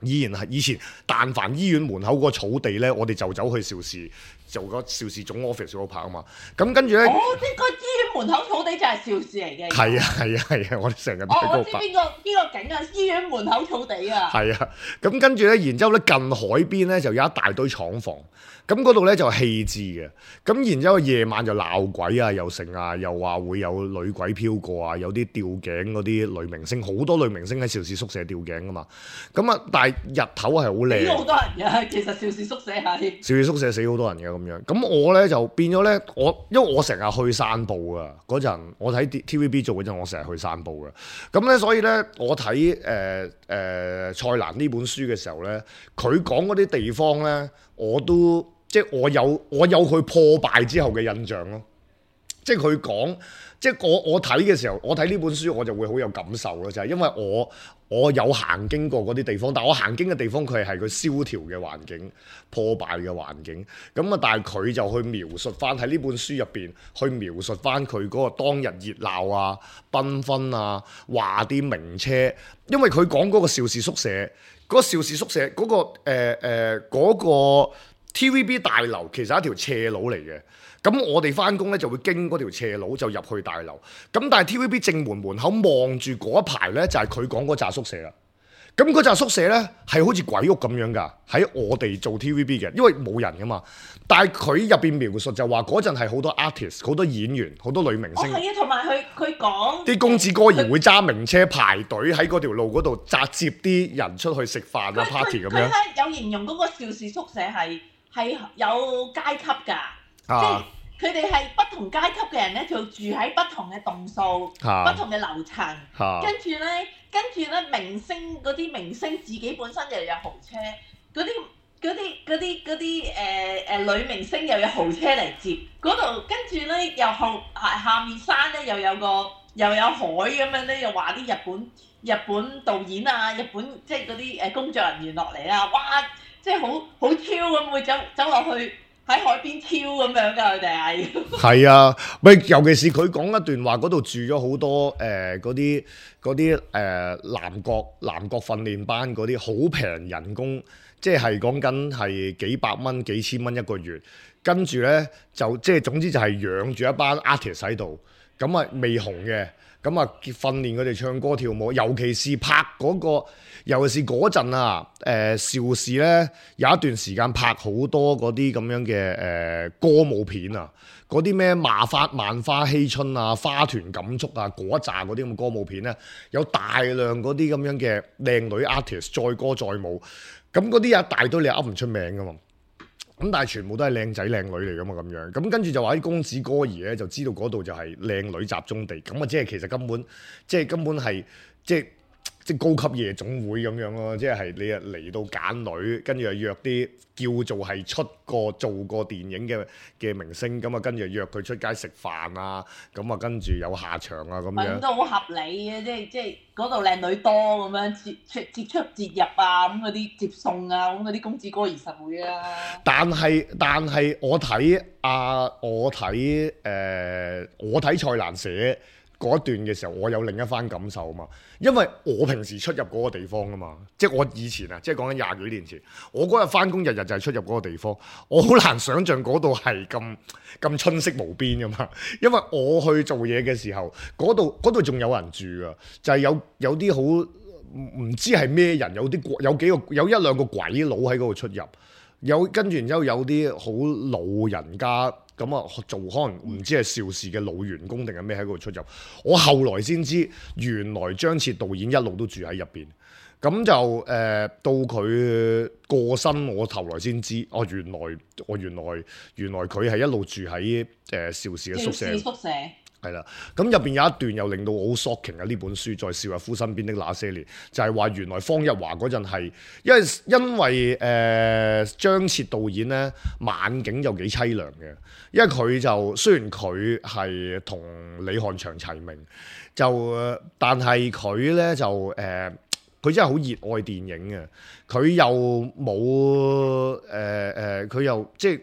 依然係以前，但凡醫院門口嗰個草地咧，我哋就走去邵氏。做個邵氏總 office 嗰度拍啊嘛，咁跟住咧，哦，呢個醫院門口草地就係邵氏嚟嘅。係啊係啊係啊，我哋成日都喺嗰度拍。我知邊個邊個景啊？醫院門口草地啊。係啊，咁跟住咧，然之後咧近海邊咧就有一大堆廠房，咁嗰度咧就棄置嘅，咁然之後夜晚就鬧鬼啊，又成啊，又話會有女鬼飄過啊，有啲吊頸嗰啲女明星，好多女明星喺邵氏宿舍吊頸噶嘛，咁啊，但係日頭係好靚。死好多人嘅，其實邵氏宿舍係。邵氏宿舍死好多人嘅。咁樣，咁我咧就變咗咧，我因為我成日去散步啊，嗰陣我睇 T V B 做嗰陣，我成日去散步嘅，咁咧所以咧我睇誒誒蔡瀾呢本書嘅時候咧，佢講嗰啲地方咧，我都即係我有我有佢破敗之後嘅印象咯，即係佢講，即係我我睇嘅時候，我睇呢本書我就會好有感受咯，就係因為我。我有行經過嗰啲地方，但我行經嘅地方佢係佢蕭條嘅環境、破敗嘅環境。咁啊，但係佢就去描述翻喺呢本書入邊，去描述翻佢嗰個當日熱鬧啊、繽紛啊、話啲名車。因為佢講嗰個邵氏宿舍，嗰、嗰個邵氏宿舍嗰、嗰個誒誒嗰個 T V B 大樓其實係一條斜路嚟嘅。咁我哋翻工咧就會經嗰條斜路就入去大樓，咁但係 T V B 正門門口望住嗰一排咧就係佢講嗰紮宿舍啦。咁嗰扎宿舍咧係好似鬼屋咁樣㗎，喺我哋做 T V B 嘅，因為冇人㗎嘛。但係佢入邊描述就話嗰陣係好多 artist、好多演員、好多女明星。哦，係啊，同埋佢佢講啲公子哥兒會揸名車排隊喺嗰條路嗰度扎接啲人出去食飯啊 party 咁樣。佢咧有形容嗰個邵氏宿舍係係有階級㗎，啊、即係佢哋係不同階級嘅人咧，就住喺不同嘅棟數、啊、不同嘅樓層，啊、跟住咧。跟住咧，明星嗰啲明星自己本身又有豪車，嗰啲嗰啲嗰啲嗰啲誒誒女明星又有豪車嚟接，嗰度跟住咧又後下下面山咧又有個又有海咁樣咧，又話啲日本日本導演啊，日本即係嗰啲誒工作人員落嚟啊，哇！即係好好超咁會走走落去。喺海邊超咁樣㗎，佢哋係。係啊，咪尤其是佢講一段話，嗰度住咗好多誒嗰啲嗰啲誒南國南國訓練班嗰啲好平人工，即係講緊係幾百蚊幾千蚊一個月，跟住咧就即係總之就係養住一班 artist 喺度，咁啊未紅嘅，咁啊訓練佢哋唱歌跳舞，尤其是拍嗰個。尤其是嗰陣啊，誒、呃、邵氏咧有一段時間拍好多嗰啲咁樣嘅誒、呃、歌舞片啊，嗰啲咩萬花萬花嬉春啊、花團錦簇啊嗰一紮嗰啲咁嘅歌舞片咧，有大量嗰啲咁樣嘅靚女 artist 載歌載舞，咁嗰啲有一大堆你噏唔出名噶嘛，咁但係全部都係靚仔靚女嚟噶嘛咁樣，咁跟住就話啲公子哥兒咧就知道嗰度就係靚女集中地，咁啊即係其實根本即係根本係即係。即係高級夜總會咁樣咯，即係你啊嚟到揀女，跟住又約啲叫做係出過做過電影嘅嘅明星，咁啊跟住約佢出街食飯啊，咁啊跟住有下場啊咁樣。都好合理嘅，即係即係嗰度靚女多咁樣接出接出接入啊，咁嗰啲接送啊，咁嗰啲公子哥兒實會啊。但係但係我睇啊，我睇誒、呃，我睇蔡瀾寫嗰一段嘅時候，我有另一番感受啊嘛，因為我平時出入嗰個地方啊嘛，即係我以前啊，即係講緊廿幾年前，我嗰日翻工日日就係出入嗰個地方，我好難想像嗰度係咁咁春色無邊噶嘛，因為我去做嘢嘅時候，嗰度嗰度仲有人住啊，就係、是、有有啲好唔知係咩人，有啲有幾個有一兩個鬼佬喺嗰度出入，有跟住然之後有啲好老人家。咁啊，做可能唔知係邵氏嘅老員工定係咩喺嗰度出入。我後來先知，原來張徹導演一路都住喺入邊。咁就誒、呃、到佢過身，我後來先知，哦原來我原來原來佢係一路住喺誒邵氏嘅宿舍。宿舍係啦，咁入邊有一段又令到我好 shocking 啊！呢本書在邵逸夫身邊的那些年，就係、是、話原來方逸華嗰陣係，因為因為誒、呃、張徹導演咧晚景就幾凄涼嘅，因為佢就雖然佢係同李翰祥齊名，就但係佢咧就誒，佢、呃、真係好熱愛電影嘅，佢又冇誒誒，佢、呃、又即係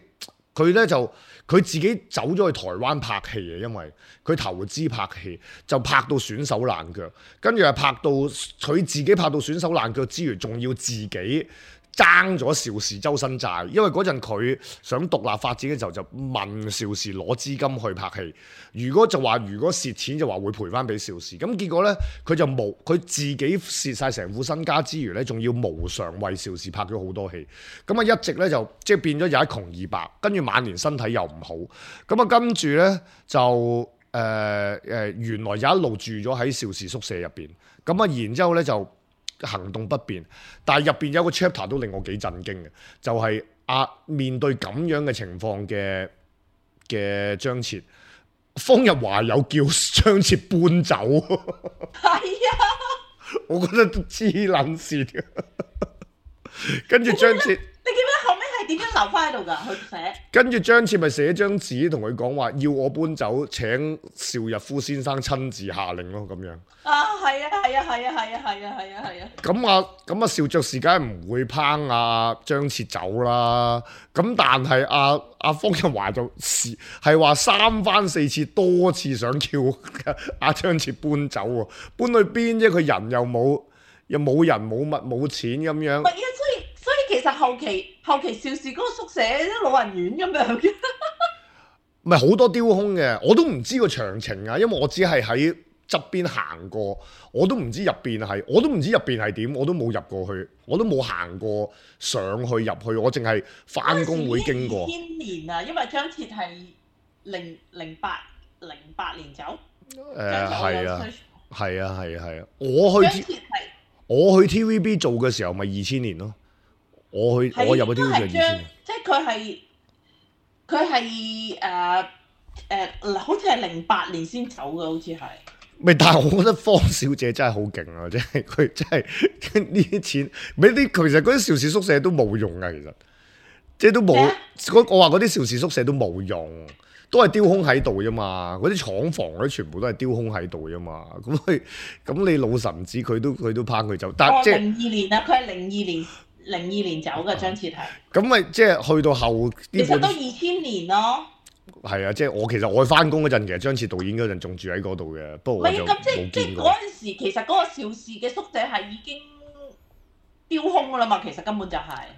佢咧就。佢自己走咗去台灣拍戲嘅，因為佢投資拍戲，就拍到損手爛腳，跟住係拍到佢自己拍到損手爛腳之餘，仲要自己爭咗邵氏周身債，因為嗰陣佢想獨立發展嘅時候，就問邵氏攞資金去拍戲。如果就話如果蝕錢就話會賠翻俾邵氏，咁結果呢，佢就無佢自己蝕晒成副身家之餘呢，仲要無償為邵氏拍咗好多戲。咁啊一直呢，就即係變咗有一窮二白，跟住晚年身體又唔好。咁啊跟住呢，就誒誒、呃呃、原來有一路住咗喺邵氏宿舍入邊。咁啊然之後呢，就行動不便，但係入邊有個 chapter 都令我幾震驚嘅，就係、是、啊面對咁樣嘅情況嘅嘅張徹，方逸華有叫張徹搬走，係啊，我覺得都黐撚線，跟住張徹。你記唔記得後尾係點樣留翻喺度㗎？佢寫跟住張徹咪寫張紙同佢講話，要我搬走，請邵逸夫先生親自下令咯，咁樣。啊，係啊，係啊，係啊，係啊，係啊，係啊，係啊。咁啊，咁啊，邵爵士梗係唔會拚阿張徹走啦。咁但係阿阿方逸華就是係話三番四次多次想叫阿張徹搬走喎，搬去邊啫？佢人又冇，又冇人冇物冇錢咁樣。其實後期後期邵氏嗰個宿舍啲老人院咁樣嘅，唔係好多雕空嘅，我都唔知個詳情啊，因為我只係喺側邊行過，我都唔知入邊係，我都唔知入邊係點，我都冇入過去，我都冇行過上去入去，我淨係翻工會經過。二千年啊，因為張徹係零零八零八年走。誒係啊，係啊，係啊，係啊，我去 T 我去 T V B 做嘅時候咪二千年咯，我去我入去 T V B 係二千年，即係佢係佢係誒誒，好似係零八年先走嘅，好似係。咪但係我覺得方小姐真係好勁啊！即係佢真係呢啲錢，咪啲其實嗰啲邵氏宿舍都冇用啊！其實即係都冇，我話嗰啲邵氏宿舍都冇用。都係丟空喺度啫嘛，嗰啲廠房嗰啲全部都係丟空喺度啫嘛。咁佢咁你老臣子佢都佢都拋佢走，但係即係零二年啊，佢係零二年零二年走嘅張徹係。咁咪即係去到後，其實都二千年咯。係啊，即係我其實我翻工嗰陣，其實張徹導演嗰陣仲住喺嗰度嘅，不過我就冇見過。嗰陣時其實嗰個邵氏嘅宿舍係已經丟空㗎啦嘛，其實根本就係、是。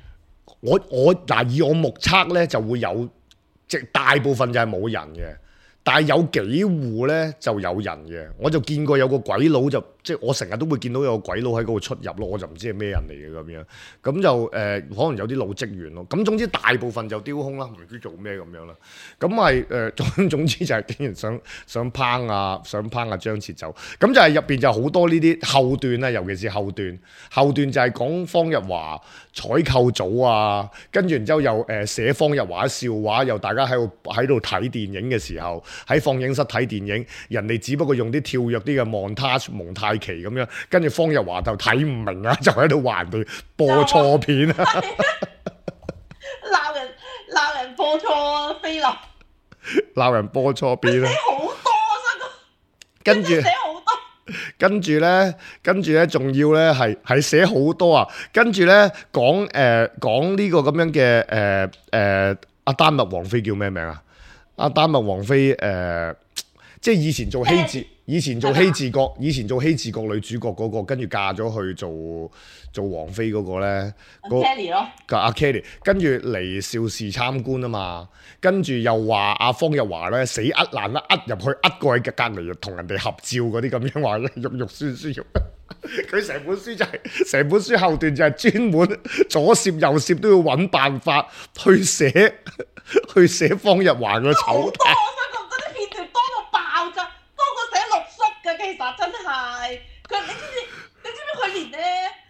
我我嗱以我目測咧就會有。即大部分就係冇人嘅，但係有幾戶咧就有人嘅。我就見過有個鬼佬就即係我成日都會見到有個鬼佬喺嗰度出入咯，我就唔知係咩人嚟嘅咁樣。咁就誒、呃、可能有啲老職員咯。咁總之大部分就丟空啦，唔知做咩咁樣啦。咁係誒總總之就係竟然想想抨啊想抨啊張徹走。咁就係入邊就好多呢啲後段啦，尤其是後段。後段就係講方日華採購組啊，跟住然之後又誒寫方日華笑話，又大家喺度喺度睇電影嘅時候，喺放映室睇電影，人哋只不過用啲跳躍啲嘅 montage 蒙太奇咁樣，跟住方日華就睇唔明啊，就喺度話人哋播錯片啊，鬧人鬧人播錯菲林，鬧人播錯片啊，寫好多啊，真係，跟住寫好多。跟住咧，跟住咧，仲要咧係係寫好多啊！跟住咧講誒講呢個咁樣嘅誒誒阿丹麥王妃叫咩名啊？阿丹麥王妃誒、呃，即係以前做希治，以前做希治閣，以前做希治閣女主角嗰、那個，跟住嫁咗去做做王妃嗰個咧，阿 Kelly 咯，阿 Kelly，跟住嚟邵氏參觀啊嘛，跟住又話阿方日華咧死呃爛啦，呃入去呃過去嘅隔離，同人哋合照嗰啲咁樣話咧，肉肉酸酸肉。佢成本書就係、是、成本書後段就係專門左攝右攝都要揾辦法去寫去寫方日華嘅醜態。我想講真啲片段多到爆炸，多過寫六叔嘅，其實真係佢，你知唔知？你知唔知佢連咧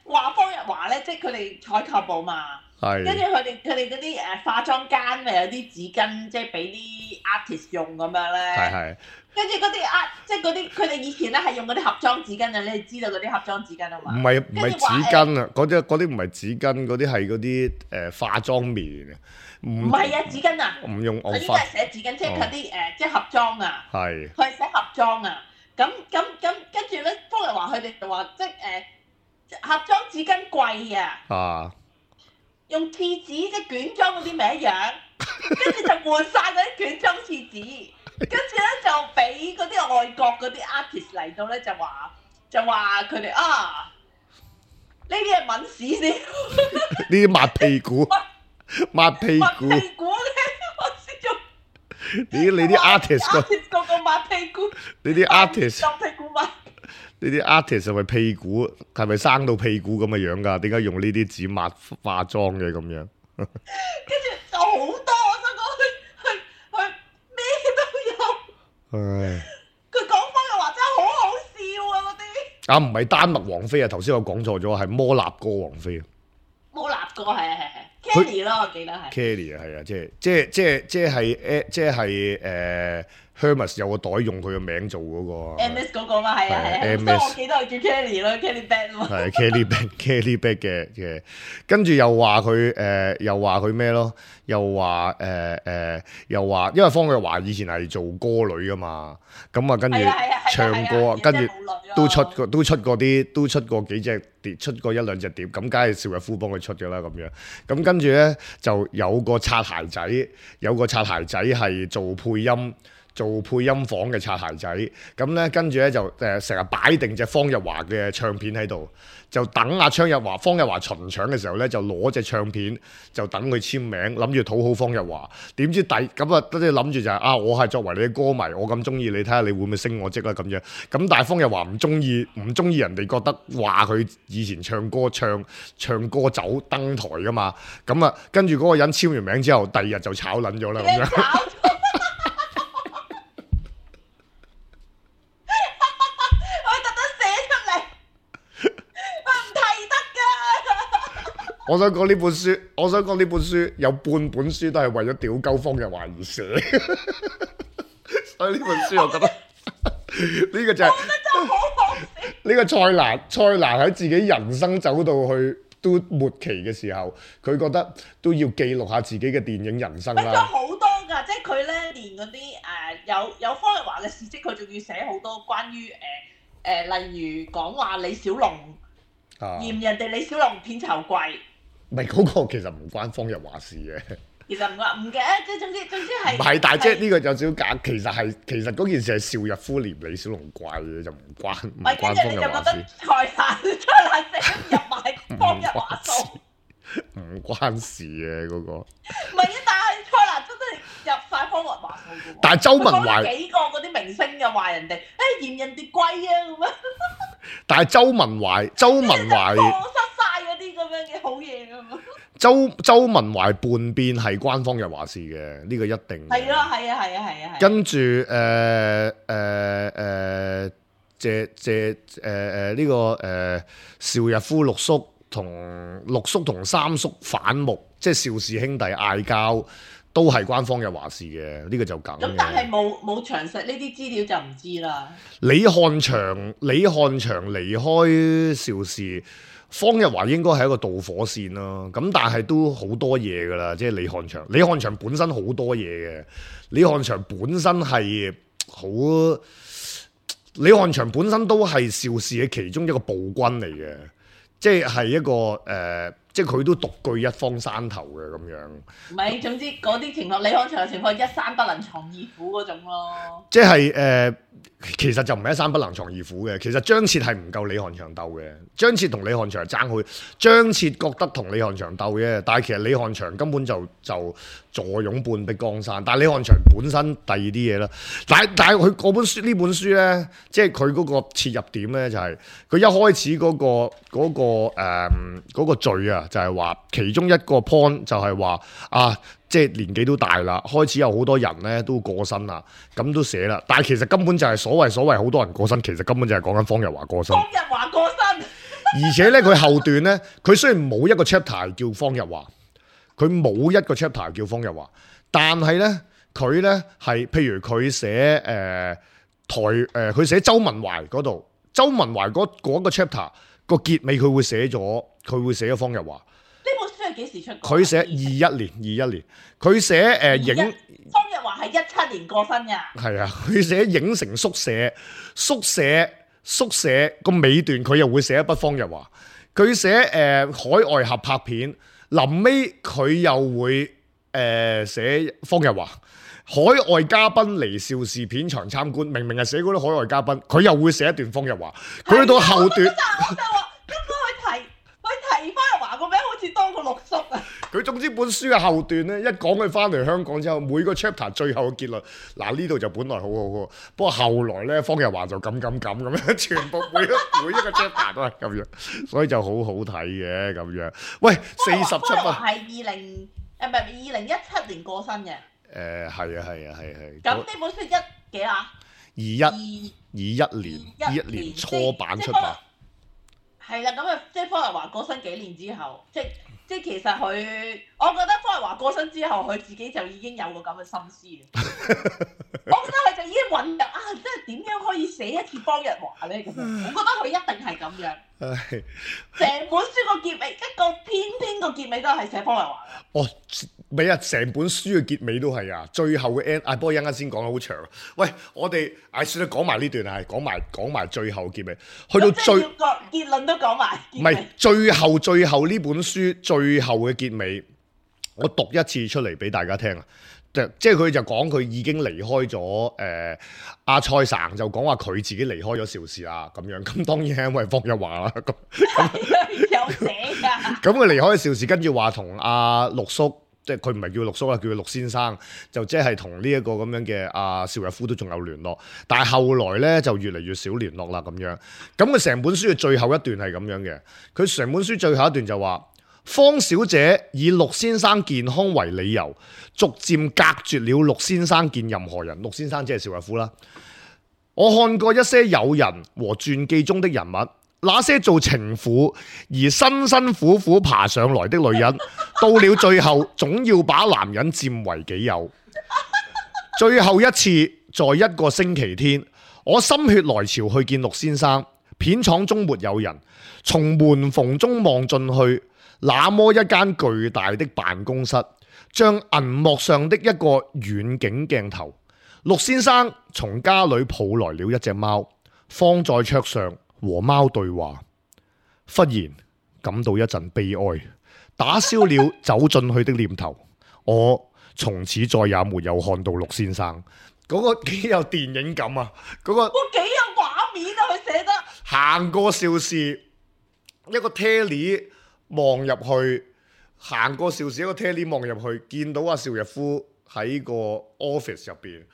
話方日華咧，即係佢哋採購部嘛，跟住佢哋佢哋嗰啲誒化妝間咪有啲紙巾，即係俾啲 artist 用咁樣咧。係係。跟住嗰啲啊，即係嗰啲佢哋以前咧係用嗰啲盒裝紙巾啊，你哋知道嗰啲盒裝紙巾啊嘛？唔係唔係紙巾啊，嗰啲嗰啲唔係紙巾，嗰啲係嗰啲誒化妝棉啊。唔係啊，紙巾啊。唔用我應該係寫紙巾，即係佢啲誒，即係盒裝啊。係。佢係寫盒裝啊。咁咁咁跟住咧，方日華佢哋就話即係誒、呃、盒裝紙巾貴啊。啊。用廁紙即係卷裝嗰啲咪一樣，跟住就換晒嗰啲卷裝廁紙。跟住咧就俾嗰啲外國嗰啲 artist 嚟到咧就話就話佢哋啊呢啲係抿屎先，呢啲抹屁股，抹屁股，抹屁股咧我先做。你你啲 artist 個 artist 個個抹屁股，你啲 artist 當屁股抹。呢啲 artist 係咪屁股係咪生到屁股咁嘅樣㗎？點解用呢啲紙抹化妝嘅咁樣？跟住就好多，我想講佢佢佢咩都有。唉，佢講方日華真係好好笑啊！嗰啲啊唔係丹麥王妃啊，頭先我講錯咗，係摩納哥王妃啊。摩納哥係係係 Kelly 咯，我記得係。Kelly 啊，係啊，即係即係即係即係誒，即係誒 Hermes 有個袋用佢嘅名做嗰個。M S 嗰個嘛係啊係啊，所以我記得佢叫 Kelly 咯 ，Kelly Bag 咯。係 Kelly Bag，Kelly Bag 嘅嘅，跟住又話佢誒，又話佢咩咯？又話誒誒，又話因為方日華以前係做歌女噶嘛，咁啊跟住唱歌，跟住都出過都出過啲，都出過幾隻碟，出過一兩隻碟，咁梗係邵逸夫幫佢出嘅啦咁樣。咁跟住咧就有個擦鞋仔，有個擦鞋仔係做配音做配音房嘅擦鞋仔，咁咧跟住咧就誒成日擺定隻方日華嘅唱片喺度，就等阿張日華、方日華巡場嘅時候咧，就攞隻唱片就等佢簽名，諗住討好方日華。點知第咁啊，即係諗住就係、是、啊，我係作為你嘅歌迷，我咁中意你，睇下你會唔會升我職啦咁樣。咁但係方日華唔中意，唔中意人哋覺得話佢以前唱歌唱唱歌走登台噶嘛。咁啊，跟住嗰個人簽完名之後，第二日就炒撚咗啦咁樣。我想講呢本書，我想講呢本書有半本書都係為咗屌鳩方日華而寫，所以呢本書我覺得呢個就係呢個蔡瀾，蔡瀾喺自己人生走到去都末期嘅時候，佢覺得都要記錄下自己嘅電影人生啦。乜咗好多㗎，即係佢咧連嗰啲誒有有方日華嘅事蹟，佢仲要寫好多關於誒誒、呃呃，例如講話李小龍嫌、啊、人哋李小龍片酬貴。唔係嗰個其實唔關方日華事嘅，其實唔關唔嘅，即係總之總之係。唔係，但係即係呢個有少少假，其實係其實嗰件事係邵逸夫嫌李小龍貴嘅，就唔關唔關方日華事。蔡瀾蔡瀾寫入埋方日華數，唔關事嘅嗰個。唔係啊，但係蔡瀾真係入晒方日華數嘅喎。但係周文懷幾個嗰啲明星又話人哋，誒嫌人哋貴啊咁樣。但係周文懷，周文懷。啲咁樣嘅好嘢㗎嘛？周周文懷叛變係關方日華事嘅，呢、這個一定係咯，係啊，係啊，係啊，跟住誒誒誒，謝謝誒誒呢個誒邵逸夫六叔同六叔同三叔反目，即係邵氏兄弟嗌交，都係關方日華事嘅，呢、這個就梗嘅。咁但係冇冇詳細呢啲資料就唔知啦。李漢祥李漢祥離開邵氏。方日華應該係一個導火線咯，咁但係都好多嘢噶啦，即係李漢祥。李漢祥本身好多嘢嘅，李漢祥本身係好，李漢祥本身都係邵氏嘅其中一個暴君嚟嘅，即係係一個誒、呃，即係佢都獨據一方山頭嘅咁樣。唔係，總之嗰啲情況，李漢祥嘅情況一山不能藏二虎嗰種咯。即係誒。呃其實就唔係一山不能藏二虎嘅，其實張徹係唔夠李漢祥鬥嘅。張徹同李漢祥係爭好，張徹覺得同李漢祥鬥嘅，但係其實李漢祥根本就就坐擁半壁江山。但係李漢祥本身第二啲嘢啦，但係但係佢嗰本書呢本書咧，即係佢嗰個切入點咧，就係、是、佢一開始嗰、那個嗰、那個誒嗰、嗯那個序啊，就係、是、話其中一個 point 就係話啊。即係年紀都大啦，開始有好多人咧都過身啦，咁都寫啦。但係其實根本就係所謂所謂好多人過身，其實根本就係講緊方日華過身。方日華過身，而且咧佢後段咧，佢雖然冇一個 chapter 叫方日華，佢冇一個 chapter 叫方日華，但係咧佢咧係譬如佢寫誒、呃、台誒佢、呃、寫周文懷嗰度，周文懷嗰嗰個 chapter 個結尾佢會寫咗，佢會寫咗方日華。幾時出？佢寫二一年，二一年。佢寫誒影方日華係一七年過身㗎。係啊，佢寫影城宿舍，宿舍宿舍個尾段佢又會寫一筆方日華。佢寫誒、呃、海外合拍片，臨尾佢又會誒、呃、寫方日華。海外嘉賓嚟邵氏片場參觀，明明係寫嗰啲海外嘉賓，佢又會寫一段方日華。佢去到後段。提方日華個名好似多過六叔啊！佢總之本書嘅後段咧，一講佢翻嚟香港之後，每個 chapter 最後嘅結論，嗱呢度就本來好好喎，不過後來咧方日華就咁咁咁咁樣，全部每一每一個 chapter 都係咁樣，所以就好好睇嘅咁樣。喂，四十七分係二零誒唔係二零一七年過身嘅。誒係啊係啊係係。咁呢本書一幾啊？二一二一年二一年初版出版。係啦，咁啊，即係方日華過身幾年之後，即即其實佢，我覺得方日華過身之後，佢自己就已經有個咁嘅心思。我覺得佢就已經醞釀啊，即係點樣可以寫一次方日華咧？咁我覺得佢一定係咁樣。成本書個結尾，一個偏偏個結尾都係寫方日華。哦，咪啊，成本書嘅結尾都係啊，最後嘅 end，啊，不過一陣間先講得好長。喂，我哋唉算啦，講埋呢段係，講埋講埋最後結尾，去到最個結論都講埋。唔係最後最後呢本書最後嘅結尾，我讀一次出嚟俾大家聽啊！即即係佢就講佢已經離開咗誒阿蔡生就講話佢自己離開咗邵氏啦咁樣，咁當然係因為方日華啦咁。有寫㗎。咁佢離開邵氏，跟住話同阿陸叔，即係佢唔係叫陸叔啦，叫佢陸先生，就即係同呢一個咁樣嘅阿邵逸夫都仲有聯絡，但係後來咧就越嚟越少聯絡啦咁樣。咁佢成本書嘅最後一段係咁樣嘅，佢成本書最後一段就話。方小姐以陸先生健康為理由，逐漸隔絕了陸先生見任何人。陸先生即係邵逸夫啦。我看過一些友人和傳記中的人物，那些做情婦而辛辛苦苦爬上來的女人，到了最後總要把男人佔為己有。最後一次在一個星期天，我心血來潮去見陸先生，片廠中沒有人，從門縫中望進去。那麼一間巨大的辦公室，像銀幕上的一個遠景鏡頭。陸先生從家裏抱來了一隻貓，放在桌上和貓對話。忽然感到一陣悲哀，打消了走進去的念頭。我從此再也沒有看到陸先生。嗰、那個幾有電影感啊！嗰、那個哇，幾有畫面啊！佢寫得行過邵氏一個 Telly。望入去，行過邵氏一個 Telly 望入去，見到阿邵逸夫喺個 office 入邊，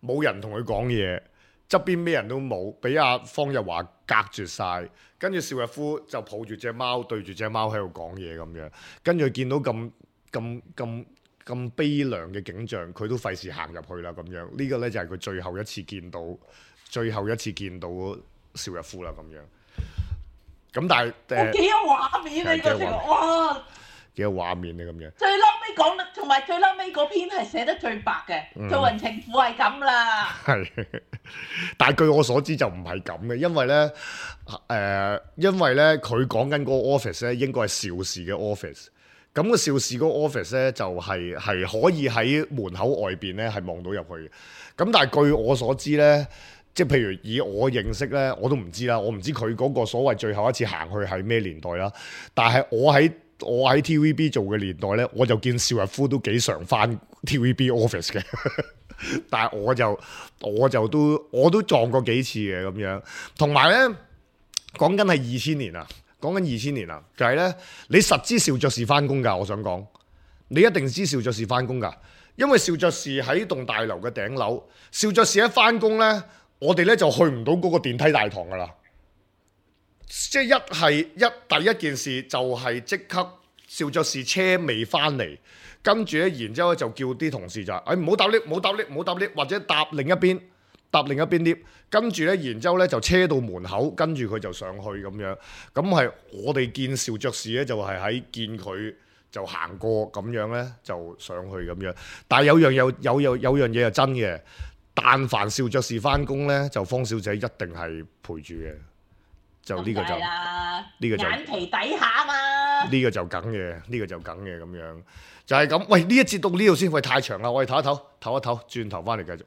冇人同佢講嘢，側邊咩人都冇，俾阿方日華隔絕晒。跟住邵逸夫就抱住隻貓，對住隻貓喺度講嘢咁樣。跟住見到咁咁咁咁悲涼嘅景象，佢都費事行入去啦咁樣。呢個呢，就係佢最後一次見到，最後一次見到邵逸夫啦咁樣。咁但係誒，幾有畫面啊！呢個情況，哇，幾有畫面啊咁樣。最嬲尾講得，同埋最嬲尾嗰篇係寫得最白嘅，嗯、做人情婦係咁啦。係，但係據我所知就唔係咁嘅，因為咧誒、呃，因為咧佢講緊嗰個 office 咧，應該係邵氏嘅 office。咁個邵氏嗰個 office 咧，就係、係、係可以喺門口外邊咧係望到入去嘅。咁但係據我所知咧。即係譬如以我認識咧，我都唔知啦。我唔知佢嗰個所謂最後一次行去係咩年代啦。但係我喺我喺 T V B 做嘅年代咧，我就見邵逸夫都幾常返 T V B office 嘅。但係我就我就都我都撞過幾次嘅咁樣。同埋咧，講緊係二千年啊，講緊二千年啊，就係、是、咧，你實知邵爵士返工㗎。我想講，你一定知邵爵士返工㗎，因為邵爵士喺棟大樓嘅頂樓，邵爵士一返工咧。我哋咧就去唔到嗰個電梯大堂噶啦，即係一係一第一件事就係即刻邵爵士車未翻嚟，跟住咧然之後就叫啲同事就誒唔好搭 lift，唔好搭 lift，唔好搭 lift，或者搭另一邊搭另一邊 lift，跟住咧然之後咧就車到門口，跟住佢就上去咁樣。咁係我哋見邵爵士咧就係喺見佢就行過咁樣咧就上去咁樣。但係有樣有有有有樣嘢係真嘅。但凡邵爵士翻工咧，就方小姐一定係陪住嘅，就呢個就呢個就眼皮底下嘛，呢個就梗嘅，呢個就梗嘅咁樣，就係咁。喂，呢一節到呢度先，喂太長啦，我哋唞一唞，唞一唞，轉頭翻嚟繼續。